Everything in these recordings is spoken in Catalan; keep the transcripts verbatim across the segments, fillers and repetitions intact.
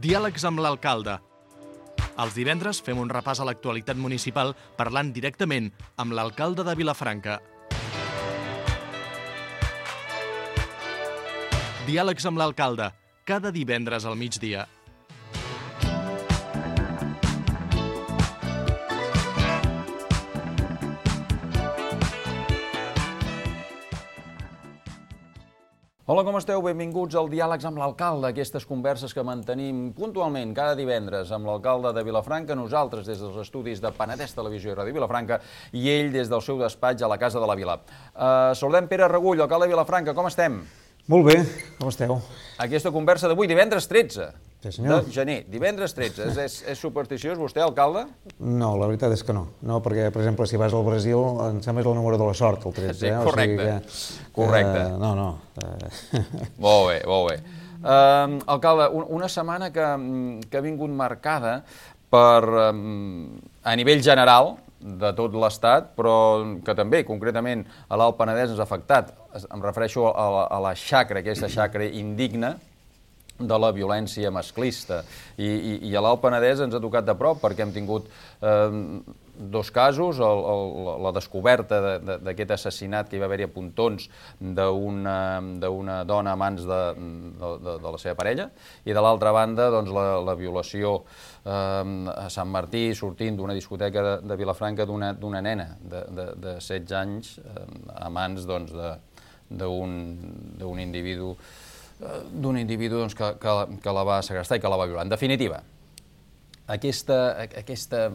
Diàlegs amb l'alcalde. Els divendres fem un repàs a l'actualitat municipal parlant directament amb l'alcalde de Vilafranca. Diàlegs amb l'alcalde, cada divendres al migdia. Hola, com esteu? Benvinguts al Diàlegs amb l'alcalde, aquestes converses que mantenim puntualment cada divendres amb l'alcalde de Vilafranca, nosaltres des dels estudis de Penedès Televisió i Ràdio Vilafranca i ell des del seu despatx a la Casa de la Vila. Uh, saludem Pere Regull, alcalde de Vilafranca, com estem? Molt bé, com esteu? Aquesta conversa d'avui, divendres tretze sí, senyor. de gener, divendres tretze. És, és, és supersticiós vostè, alcalde? No, la veritat és que no. No, perquè, per exemple, si vas al Brasil, em sembla és el número de la sort, el tretze. Sí, correcte. Eh? O sigui que, correcte. Uh, no, no. Uh... molt bé, molt bé. Uh, alcalde, un, una setmana que, que ha vingut marcada per, um, a nivell general, de tot l'Estat, però que també, concretament, a l'Alt Penedès ens ha afectat. Em refereixo a la, a la xacra, aquesta xacra indigna de la violència masclista. I, i, i a l'Alt Penedès ens ha tocat de prop perquè hem tingut eh, dos casos, el, el, la descoberta d'aquest assassinat que hi va haver-hi a Pontons d'una d'una dona a mans de, de, de, de la seva parella, i de l'altra banda doncs, la, la violació eh, a Sant Martí, sortint d'una discoteca de, de Vilafranca d'una nena de, de, de setze anys eh, a mans doncs, d'un individu d'un individu doncs, que, que, que la va segrestar i que la va violar. En definitiva, aquesta, aquesta,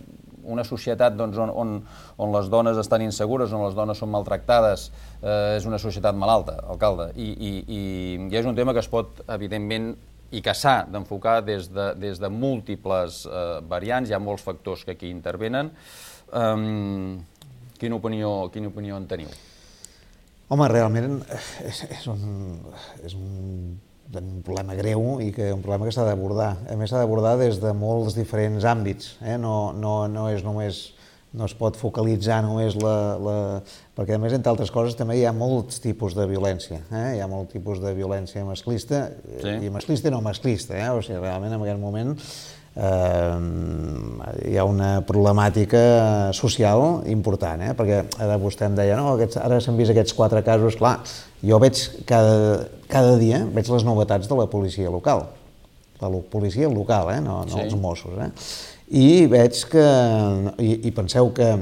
una societat doncs, on, on, on les dones estan insegures, on les dones són maltractades, eh, és una societat malalta, alcalde, i, i, i, i és un tema que es pot, evidentment, i que s'ha d'enfocar des, de, des de múltiples eh, variants, hi ha molts factors que aquí intervenen. Um, quina opinió, quina opinió en teniu? Home, realment és, és, un, és un, un problema greu i que un problema que s'ha d'abordar. A més, s'ha d'abordar des de molts diferents àmbits. Eh? No, no, no és només, no es pot focalitzar només la, la... Perquè, a més, entre altres coses, també hi ha molts tipus de violència. Eh? Hi ha molts tipus de violència masclista, sí. I masclista i no masclista. Eh? O sigui, realment, en aquest moment eh, hi ha una problemàtica social important, eh? Perquè ara vostè em deia, no, aquests, ara s'han vist aquests quatre casos, clar, jo veig cada, cada dia veig les novetats de la policia local, la policia local, eh? no, no sí. Els Mossos, eh? I veig que, i, i penseu que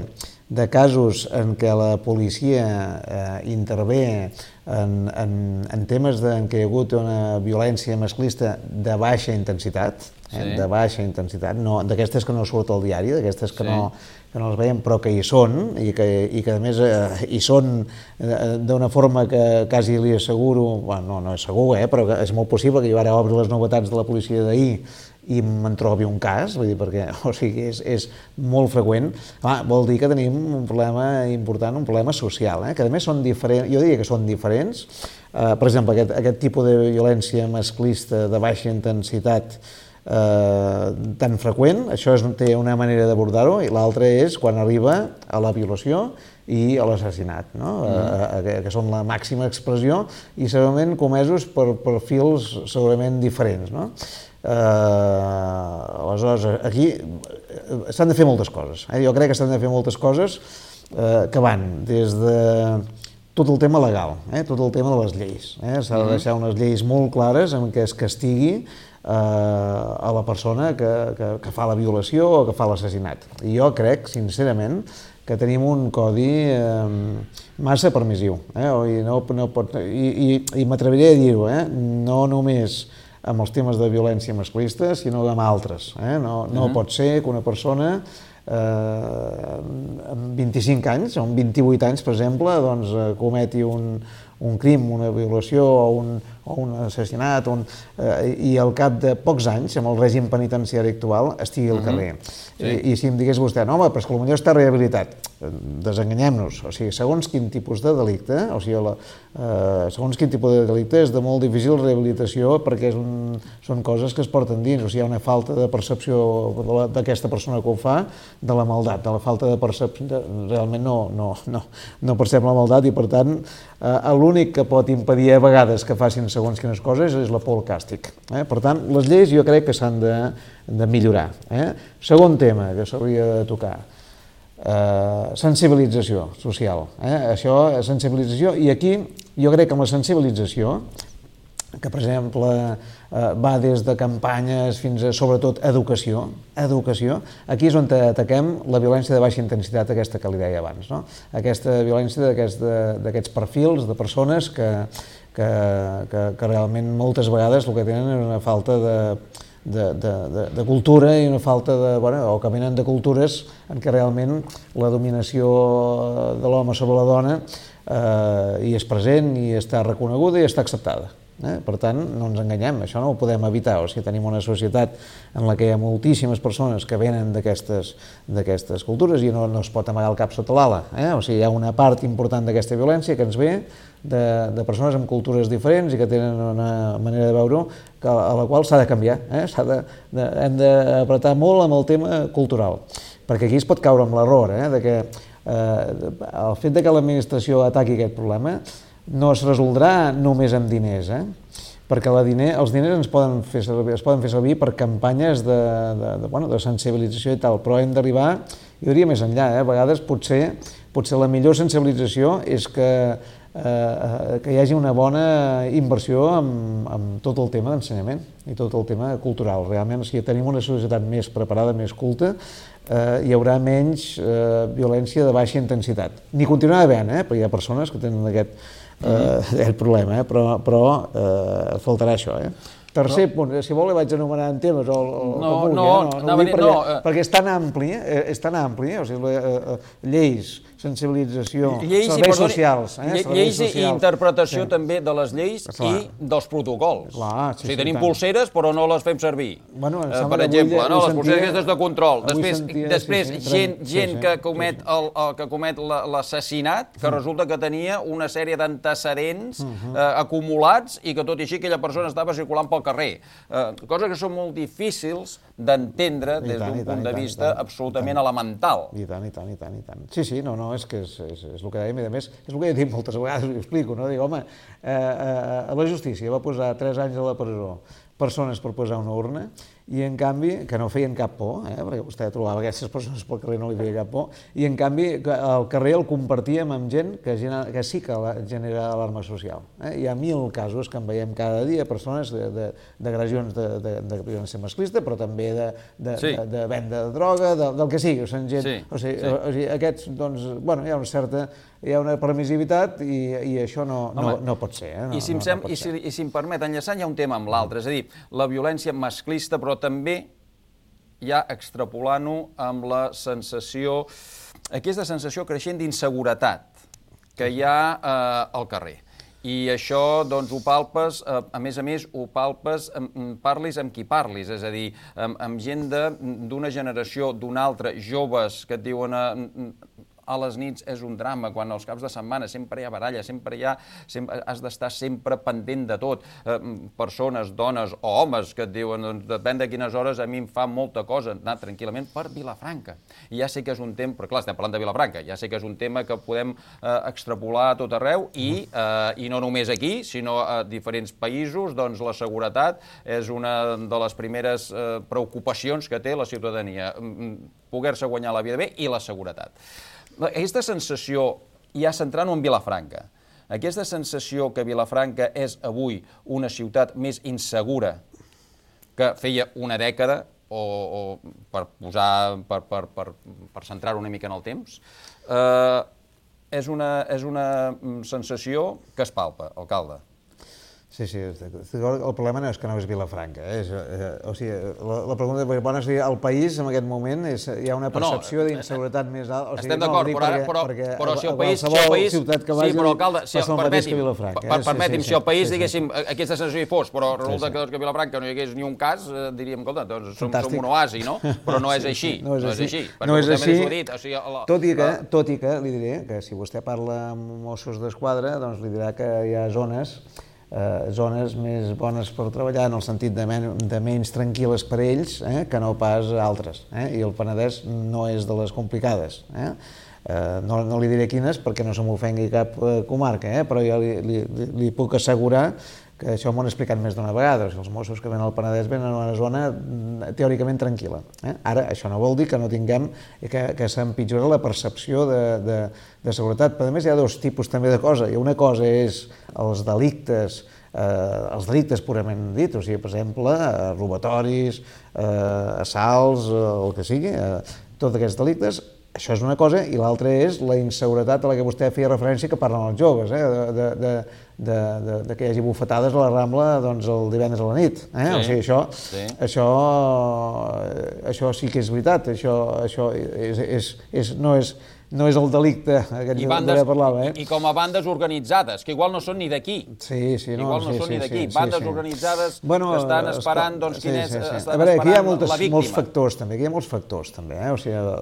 de casos en què la policia eh, intervé en, en, en temes de, en què hi ha hagut una violència masclista de baixa intensitat, eh, sí. de baixa intensitat, no, d'aquestes que no surt al diari, d'aquestes que, sí. no, que no les veiem però que hi són i que, i que a més eh, hi són eh, d'una forma que quasi li asseguro, bueno, no, no és segur, eh, però és molt possible que jo ara obri les novetats de la policia d'ahir i me'n trobi un cas, vull dir, perquè o sigui, és, és molt freqüent. Clar, vol dir que tenim un problema important, un problema social, eh? Que a més són diferents, jo diria que són diferents. Uh, per exemple, aquest, aquest tipus de violència masclista de baixa intensitat uh, tan freqüent, això és, té una manera d'abordar-ho, i l'altra és quan arriba a la violació i a l'assassinat, no? Mm. uh, que, que són la màxima expressió i segurament comesos per perfils segurament diferents, no? Uh, aleshores, aquí s'han de fer moltes coses. Eh? Jo crec que s'han de fer moltes coses uh, que van des de tot el tema legal, eh? Tot el tema de les lleis. Eh? S'ha de deixar unes lleis molt clares en què es castigui uh, a la persona que, que, que fa la violació o que fa l'assassinat. I jo crec, sincerament, que tenim un codi eh, massa permissiu. Eh? I, no, no pot, i, i, i m'atreviré a dir-ho, eh? No només amb els temes de violència masclista, sinó amb altres. Eh? No, no uh-huh. pot ser que una persona eh, amb vint-i-cinc anys, o amb vint-i-vuit anys, per exemple, doncs, cometi un, un crim, una violació o un, o un assassinat, un, eh, i al cap de pocs anys, amb el règim penitenciari actual, estigui al carrer. Uh-huh. Sí. I, I si em digués vostè, no, home, però és que potser està rehabilitat. Desenganyem-nos. O sigui, segons quin tipus de delicte, o sigui, la, eh, segons quin tipus de delicte és de molt difícil rehabilitació perquè és un, són coses que es porten dins. O sigui, hi ha una falta de percepció d'aquesta persona que ho fa de la maldat, de la falta de percepció. De, realment no, no, no, no percep la maldat i, per tant, eh, l'únic que pot impedir a vegades que facin segons quines coses és la por al càstig. Eh? Per tant, les lleis jo crec que s'han de, de millorar. Eh? Segon tema que s'hauria de tocar, eh, sensibilització social. Eh? Això, sensibilització, i aquí jo crec que amb la sensibilització, que per exemple eh, va des de campanyes fins a sobretot educació, educació, aquí és on ataquem la violència de baixa intensitat, aquesta que li deia abans, no? Aquesta violència d'aquests perfils de persones que, que, que, que realment moltes vegades el que tenen és una falta de, de, de, de, de cultura i una falta de, bueno, o que venen de cultures en què realment la dominació de l'home sobre la dona eh, hi és present, i està reconeguda i està acceptada. Eh? Per tant, no ens enganyem, això no ho podem evitar. O sigui, tenim una societat en la que hi ha moltíssimes persones que venen d'aquestes d'aquestes cultures i no, no es pot amagar el cap sota l'ala. Eh? O sigui, hi ha una part important d'aquesta violència que ens ve de, de persones amb cultures diferents i que tenen una manera de veure que, a la qual s'ha de canviar. Eh? S'ha de, de, hem d'apretar molt amb el tema cultural, perquè aquí es pot caure amb l'error, eh? de que eh, el fet de que l'administració ataqui aquest problema no es resoldrà només amb diners, eh? Perquè la diner, els diners ens poden fer servir, es poden fer servir per campanyes de, de, de, bueno, de sensibilització i tal, però hem d'arribar, jo diria més enllà, eh? A vegades potser, potser la millor sensibilització és que, eh, que hi hagi una bona inversió amb, amb tot el tema d'ensenyament i tot el tema cultural. Realment, si tenim una societat més preparada, més culta, eh, hi haurà menys eh, violència de baixa intensitat. N'hi continuarà havent, eh? Perquè hi ha persones que tenen aquest Uh, el problema, eh? però, però uh, faltarà això. Eh? Tercer no. punt, si vol vaig anomenar en temes o, o no, vulgui, no, eh? no, no, no, perquè, no, uh... perquè és tan ampli, eh? és tan ampli, o sigui, uh, uh, lleis, sensibilització, lleis serveis i, socials. Eh? Lle serveis lleis socials. I interpretació sí. també de les lleis Clar. I dels protocols. Clar, sí, o sigui, sí, tenim tant. pulseres però no les fem servir. Bueno, uh, per exemple, no? les pulseres aquestes de control. Després, sentia, després sí, sí, gent, sí, gent sí, que comet, sí, sí. el, el, que comet l'assassinat, que mm. resulta que tenia una sèrie d'antecedents mm -hmm. uh, acumulats i que tot i així aquella persona estava circulant pel carrer. Uh, coses que són molt difícils d'entendre des d'un punt de vista absolutament elemental. I tant, i tant, i tant, i tant. Sí, sí, no, no, és que és, és, és el que dèiem, i a més, és el que he dit moltes vegades, ho explico, no? Dic, home, eh, eh, la justícia va posar tres anys a la presó persones per posar una urna, i en canvi, que no feien cap por, eh, perquè vostè trobava aquestes persones pel carrer no li feia cap por, i en canvi el carrer el compartíem amb gent que, genera, que sí que genera alarma social. Eh? Hi ha mil casos que en veiem cada dia, persones d'agressions de, de, de, de violència masclista, però també de, de, sí. de, de venda de droga, de, del que sigui. O sigui, gent, sí, o sigui, sí. o sigui, aquests, doncs, bueno, hi ha una certa, hi ha una permissivitat i, i això no, no, Home, no pot ser. Eh? No, I, si no, no pot i, si, ser. I si em permet, enllaçant hi ha un tema amb l'altre, és a dir, la violència masclista, però també ja extrapolant-ho amb la sensació, aquesta sensació creixent d'inseguretat que hi ha eh, al carrer. I això, doncs, ho palpes, eh, a més a més, ho palpes, eh, parlis amb qui parlis, és a dir, amb, amb gent d'una generació, d'una altra, joves que et diuen... Eh, a les nits és un drama, quan als caps de setmana sempre hi ha baralla, sempre hi ha, sempre, has d'estar sempre pendent de tot. Eh, persones, dones o homes que et diuen, doncs, depèn de quines hores, a mi em fa molta cosa anar tranquil·lament per Vilafranca. I ja sé que és un tema, però clar, estem parlant de Vilafranca, ja sé que és un tema que podem eh, extrapolar a tot arreu i, eh, i no només aquí, sinó a diferents països, doncs la seguretat és una de les primeres eh, preocupacions que té la ciutadania, poder-se guanyar la vida bé i la seguretat. Aquesta sensació, ja centrant-ho en Vilafranca, aquesta sensació que Vilafranca és avui una ciutat més insegura que feia una dècada, o, o per posar, per, per, per, per centrar-ho una mica en el temps, eh, és, una, és una sensació que es palpa, alcalde. Sí, sí, el problema no és que no és Vilafranca, eh? És, eh, o sigui, la, la pregunta és, bueno, si al país en aquest moment és, hi ha una percepció no, no, d'inseguretat més alta. O sigui, estem d'acord, no, però, perquè, però, perquè però si el a, país... A si el país ciutat que vagi sí, però, alcalde, si, passa el mateix que Vilafranca. Per, permeti'm, sí, sí, si el país, sí, diguéssim, sí. aquesta sensació hi fos, però resulta sí, sí. que, que a Vilafranca no hi hagués ni un cas, eh, diríem, escolta, doncs som, som un oasi, no? Però no és així, sí, no és així. No és així, o sigui, la, tot, i que, tot i que li diré que si vostè parla amb Mossos d'Esquadra, doncs li dirà que hi ha zones Eh, zones més bones per treballar en el sentit de, men de menys tranquil·les per ells eh, que no pas altres. Eh? I el Penedès no és de les complicades. Eh? Eh, no, no li diré quines perquè no se m'ofengui cap eh, comarca, eh? Però jo li, li, li puc assegurar que això m'ho han explicat més d'una vegada, els Mossos que venen al Penedès venen a una zona teòricament tranquil·la. Eh? Ara, això no vol dir que no tinguem, que, que s'empitjora la percepció de, de, de seguretat, però a més hi ha dos tipus també de cosa, i una cosa és els delictes, eh, els delictes purament dit, o sigui, per exemple, eh, robatoris, eh, assalts, eh, el que sigui, eh, tots aquests delictes. Això és una cosa, i l'altra és la inseguretat a la que vostè feia referència que parlen els joves, eh? de, de, de, de, de, de que hi hagi bufetades a la Rambla doncs, el divendres a la nit. Eh? Sí, o sigui, això, sí. això, això sí que és veritat, això, això és, és, és, no és... no és el delicte aquest I, bandes, parlava, eh? I, i com a bandes organitzades, que igual no són ni d'aquí. Sí, sí, no, igual no sí, són sí, ni d'aquí. Sí, bandes sí. organitzades bueno, que estan esperant doncs, quin sí, és, sí, sí. estan A veure, aquí hi ha moltes, la víctima. molts factors també, aquí hi ha molts factors també, eh? o, sigui, la,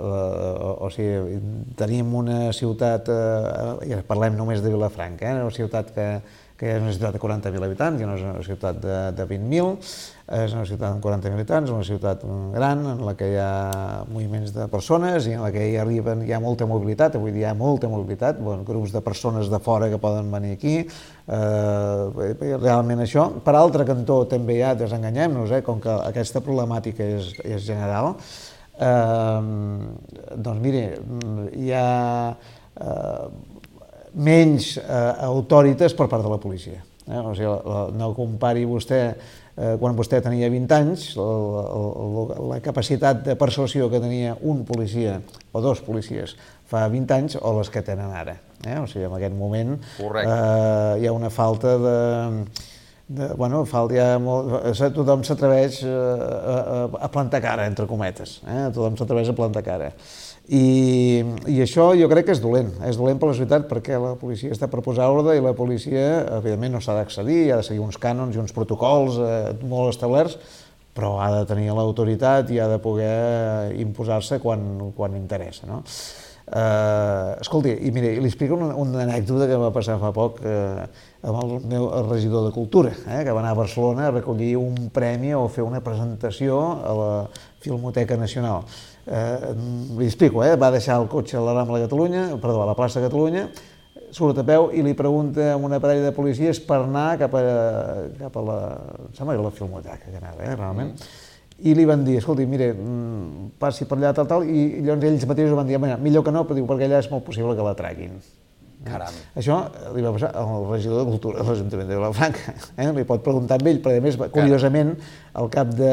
o sigui, tenim una ciutat, eh, i parlem només de Vilafranca, eh? una ciutat que, que és una ciutat de quaranta mil habitants, que no és una ciutat de, de vint mil, és una ciutat amb quaranta mil habitants, una ciutat gran en la que hi ha moviments de persones i en la que hi arriben, hi ha molta mobilitat, avui dia hi ha molta mobilitat, bon, grups de persones de fora que poden venir aquí, eh, realment això. Per altre cantó també hi ha, desenganyem-nos, eh, com que aquesta problemàtica és, és general, eh, doncs mire, hi ha eh, menys eh, autoritats per part de la policia. Eh? O sigui, la, no compari vostè, eh, quan vostè tenia vint anys, la, la, la capacitat de persuasió que tenia un policia o dos policies fa vint anys o les que tenen ara. Eh? O sigui, en aquest moment eh, hi ha una falta de... de bueno, falta ja molt, tothom s'atreveix a, a plantar cara, entre cometes. Eh? Tothom s'atreveix a plantar cara. I, i això jo crec que és dolent, és dolent per la societat perquè la policia està per posar ordre i la policia, evidentment, no s'ha d'accedir, ha de seguir uns cànons i uns protocols eh, molt establerts, però ha de tenir l'autoritat i ha de poder imposar-se quan, quan interessa. No? Eh, escolti, i mire, li explico una, una anècdota que va passar fa poc eh, amb el meu el regidor de Cultura, eh, que va anar a Barcelona a recollir un premi o fer una presentació a la Filmoteca Nacional. Eh, li explico, eh, va deixar el cotxe a la Rambla de Catalunya, perdó, a la plaça de Catalunya, surt a peu i li pregunta a una parella de policies per anar cap a, cap a la, em sembla que la Filmoteca que anava, eh, realment, i li van dir, escolti, mire, passi per allà, tal, tal, i llavors ells mateixos van dir, millor que no, però diu, perquè allà és molt possible que la traguin. Caram. Això li va passar al regidor de Cultura de l'Ajuntament de Vilafranca. Eh? Li pot preguntar amb ell, però a més, curiosament, al cap de...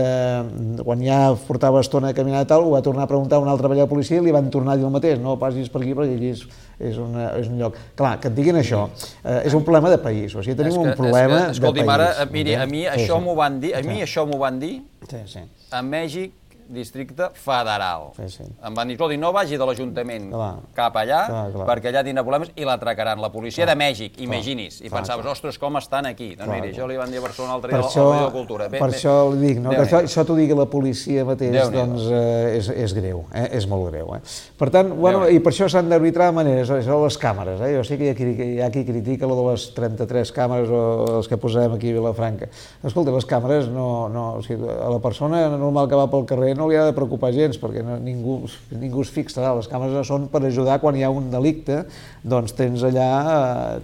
quan ja portava estona a caminar i tal, ho va tornar a preguntar a una altra parella de policia i li van tornar a dir el mateix, no passis per aquí perquè aquí és, és, una, és un lloc. Clar, que et diguin això, eh, és un problema de país, o sigui, tenim que, un problema que, escolti, de país. Mare, miri, a mi això sí, m'ho van dir, a mi sí. això m'ho van dir sí, sí. a Mèxic, districte federal. Sí, sí. Em van dir, escolti, no vagi de l'Ajuntament cap allà, clar, clar. perquè allà tindrà problemes i l'atracaran. La policia clar. de Mèxic, imagini's. I clar, pensaves, clar. ostres, com estan aquí? Doncs clar, miri, això li van dir a Barcelona l'altre dia al Rei de Cultura. Per ben, això li dic, no? que això, això t'ho digui la policia mateix, doncs eh, és, és greu, eh? és molt greu. Eh? Per tant, bueno, i per això s'han d'arbitrar maneres, això de les càmeres. Eh? Jo sé que hi ha, qui, hi ha qui critica lo de les trenta-tres càmeres o les que posarem aquí a Vilafranca. Escolta, les càmeres, no, no, o sigui, a la persona normal que va pel carrer no li ha de preocupar gens, perquè no, ningú, ningú es fixarà. Les càmeres són per ajudar quan hi ha un delicte, doncs tens allà,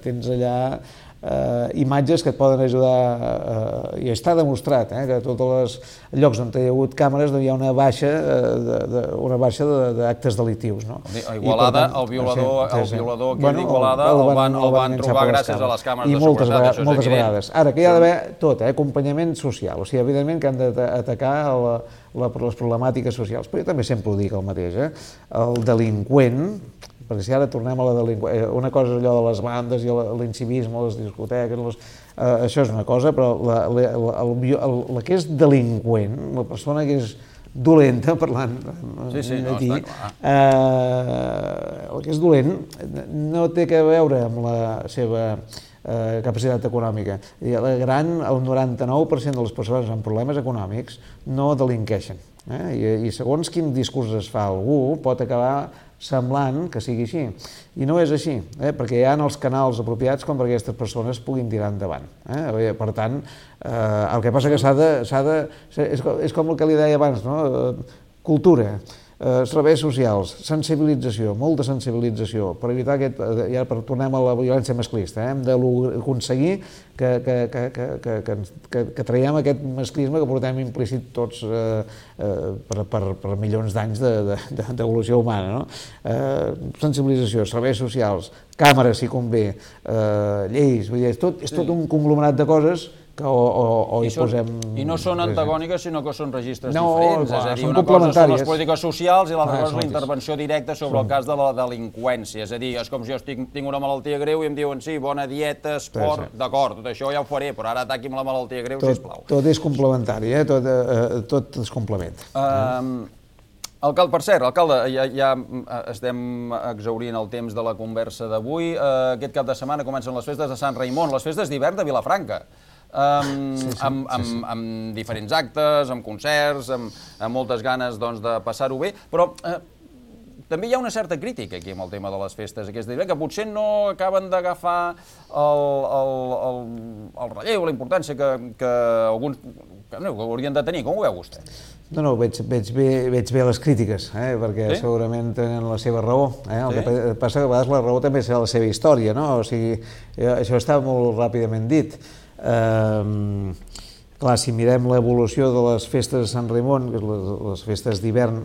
tens allà eh, imatges que et poden ajudar, eh, i està demostrat eh, que a tots els llocs on hi ha hagut càmeres doncs hi ha una baixa eh, de, de, una baixa d'actes delictius. No? A Igualada, tant, el violador, sí, sí, sí. el violador aquí bueno, d'Igualada el, el, el, van, el van trobar gràcies a les càmeres I de moltes seguretat. Vegades, moltes vegades. Ara, que hi ha d'haver tot, eh, acompanyament social, o sigui, evidentment que han d'atacar la La, les problemàtiques socials, però jo també sempre ho dic el mateix, eh? El delinqüent, perquè si ara tornem a la delinqüència, una cosa és allò de les bandes i l'incivisme, les discoteques, les, eh, això és una cosa, però la, la, el, el, el, la que és delinqüent, la persona que és dolenta, parlant sí, sí, aquí, no, està clar. Eh, el que és dolent no té que veure amb la seva Eh, capacitat econòmica. I el gran, el noranta-nou per cent de les persones amb problemes econòmics no delinqueixen. Eh? I, I segons quin discurs es fa algú, pot acabar semblant que sigui així. I no és així, eh? perquè hi ha els canals apropiats com perquè aquestes persones puguin tirar endavant. Eh? Per tant, eh, el que passa que s'ha de... S'ha de és, és com el que li deia abans, no? Cultura. Eh, serveis socials, sensibilització, molta sensibilització, per evitar aquest, ja per tornem a la violència masclista, eh? hem d'aconseguir que, que, que, que, que, que, que traiem aquest masclisme que portem implícit tots eh, eh, per, per, per milions d'anys d'evolució humana. No? Eh, sensibilització, serveis socials, càmeres, si convé, eh, lleis, vull dir, és tot, és tot un conglomerat de coses que o, o, o hi són, posem... I no són antagòniques, sinó que són registres no, diferents. Clar, és a dir, són una cosa són les complementàries. polítiques socials i l'altra Ah, cosa és la intervenció directa sobre el cas de la delinqüència. És a dir, és com si jo estic, tinc una malaltia greu i em diuen sí, bona dieta, esport, sí, sí. d'acord, tot això ja ho faré, però ara ataqui'm la malaltia greu, tot, sisplau. Tot és complementari, eh? tot, eh, tot es complementa. Um, Alcalde, per cert, alcalde, ja, ja estem exhaurint el temps de la conversa d'avui. Uh, aquest cap de setmana comencen les festes de Sant Raimon, les festes d'hivern de Vilafranca. Um, sí, sí, amb, amb, sí, sí. amb diferents actes, amb concerts, amb, amb moltes ganes doncs, de passar-ho bé, però eh, també hi ha una certa crítica aquí amb el tema de les festes aquesta d'hivern, que potser no acaben d'agafar el, el, el, el relleu, la importància que, que alguns que, no, que haurien de tenir. Com ho veu vostè? No, no, veig, veig, bé, veig bé les crítiques, eh? perquè sí? segurament tenen la seva raó. Eh? El sí? que passa que a vegades la raó també serà la seva història, no? O sigui, això està molt ràpidament dit. Uh, clar, si mirem l'evolució de les festes de Sant Raimon, les, les festes d'hivern,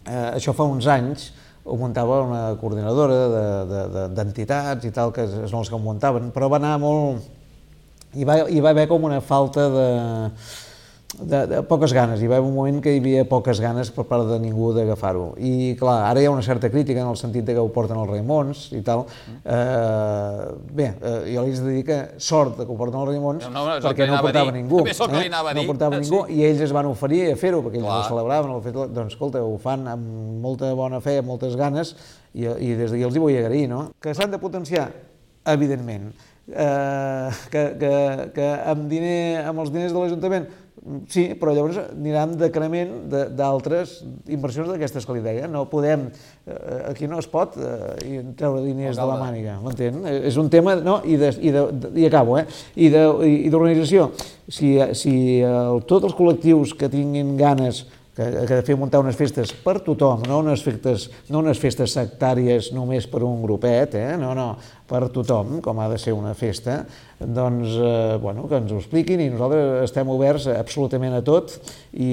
uh, això fa uns anys ho muntava una coordinadora d'entitats de, de, i tal, que són els que ho muntaven, però va anar molt... Hi va, hi va haver com una falta de... De, de poques ganes, hi va haver un moment que hi havia poques ganes per part de ningú d'agafar-ho. I clar, ara hi ha una certa crítica en el sentit de que ho porten els Raimons i tal. Eh, bé, eh, jo li he de dir que sort que ho porten els Raimons no, no, perquè no ho portava ningú. També és el que li anava a dir. No portava ningú sí. I ells es van oferir a fer-ho perquè ells clar. ho celebraven. El fet, doncs escolta, ho fan amb molta bona fe, amb moltes ganes i, i des d'aquí els hi vull agrair, no? Que s'han de potenciar, evidentment. Eh, que, que, que amb, diner, amb els diners de l'Ajuntament sí, però llavors aniran decrement d'altres inversions d'aquestes que li deia. No podem, aquí no es pot eh, treure diners de la màniga, m'entén? És un tema, no? I, de, i, de, i acabo, eh? I d'organització. Si, si el, tots els col·lectius que tinguin ganes que, que de fer muntar unes festes per tothom, no unes festes, no unes festes sectàries només per un grupet, eh? no, no, per tothom, com ha de ser una festa, doncs, eh, bueno, que ens ho expliquin i nosaltres estem oberts absolutament a tot i,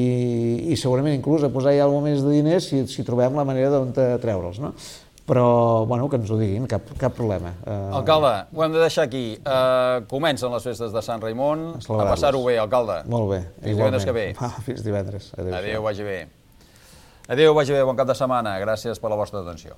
i segurament inclús a posar-hi alguna més de diners si, si trobem la manera d'on treure'ls, no? Però, bueno, que ens ho diguin, cap, cap problema. Uh... Alcalde, ho hem de deixar aquí. Uh, comencen les festes de Sant Raimon. A passar-ho bé, alcalde. Molt bé. Fins divendres que ve. Ah, fins divendres. Adéu, Adéu vagi bé. Adéu, vagi bé. Bon cap de setmana. Gràcies per la vostra atenció.